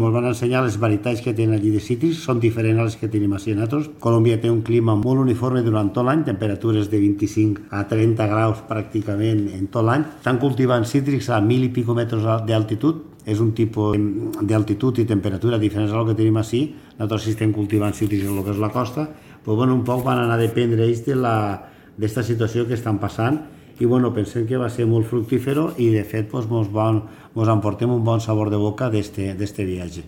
Ens van ensenyar les varietats que tenen allí de cítrics, són diferents a les que tenim així nosaltres. Colòmbia té un clima molt uniforme durant tot l'any, temperatures de 25 a 30 graus pràcticament en tot l'any. Estan cultivant cítrics a 1.000 i pico metres d'altitud, és un tipus d'altitud i temperatura diferents al que tenim així. Nosaltres sí estem cultivant cítrics en el que és la costa, però bueno, un poc van anar a dependre ells d'esta situació que estan passant i bueno, pensem que va ser molt fructífero i de fet mos emportem un bon sabor de boca d'este viatge.